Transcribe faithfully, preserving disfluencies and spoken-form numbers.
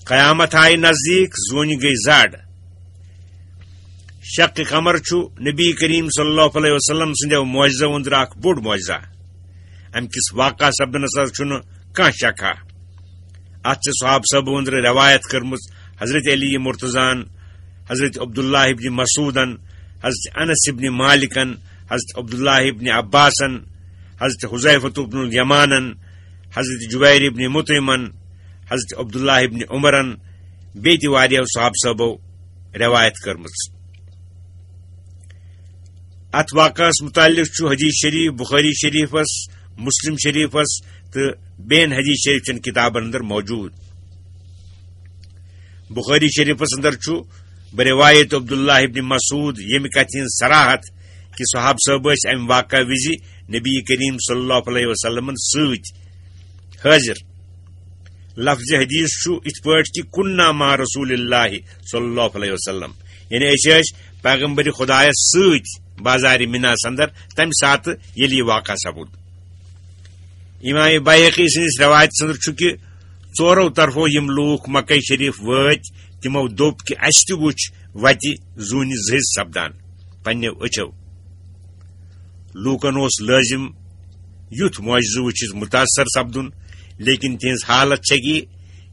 قیامت آیہِ نزدیٖک، زوٗنہِ گٔے زڈ۔ شق قمر چھُ نبی کریم صلی اللہ علیہ وسلم سٕنٛدیو معجزو أنٛدرٕ اکھ بوٚڑ معجزہ۔ امہِ کِس واقعہ سپدنس حظ چھُنہٕ کانٛہہ شکھا۔ اتھ چھِ صحابہٕ صٲبو أنٛدرٕ رٮ۪وایت کٔرمٕژ حضرت علی مرتضیٰ ہن، حضرت عبداللہ ابن مسعودن، حضرت انس ابن مالکن، حضرت عبداللہ ابن عباسن، حضرت حذیفۃ ابن الیمانن، حضرت جبیر ابن مطعمن، حضرت عبداللہ ابن عمرن، بیٚیہِ تہِ واریاہو صحابہٕ صٲبو رٮ۪وایت کٔرمٕژ۔ اتھ واقعس متعلق چھُ حدیث شریف بخاری شریفس، مسلم شریفس تہٕ بیٚین حدیث شریف چٮ۪ن کتابن اندر موجود۔ بخاری شریفس اندر چھُ برواية عبد الله بن مسعود ییٚمہِ کتھِ ہٕنٛز صراحت کہِ صحابہٕ صٲب ٲسۍ امہِ واقعہٕ وِزِ نبی کریم صلی اللہ علیہ وسلمن سۭتۍ حٲضِر۔ لفظ حدیث چھُ یِتھ پٲٹھۍ کہِ كنا مع رسول الله صلى الله عليه وسلم، یعنی أسۍ ٲسۍ پیغمبر خدایس سۭتۍ بازارِ مناہس اندر تمہِ ساتہٕ ییٚلہِ یہِ واقعہٕ سپُد۔ امام بیہقی سٕنٛدِس رٮ۪وایتس اندر چھُ کہِ ژورو طرفو یِم لوٗکھ مکہ شریف وٲتۍ، تِمو دوٚپ کہِ اسہِ تہِ وُچھ وتہِ زوٗنہِ زٔہِس سپدان پننیو أچھو۔ لوٗکن اوس لٲزِم یُتھ معجزٕ وٕچھِتھ متاثر سپدُن، لیکن تِہنٛز حالت چھےٚ کہِ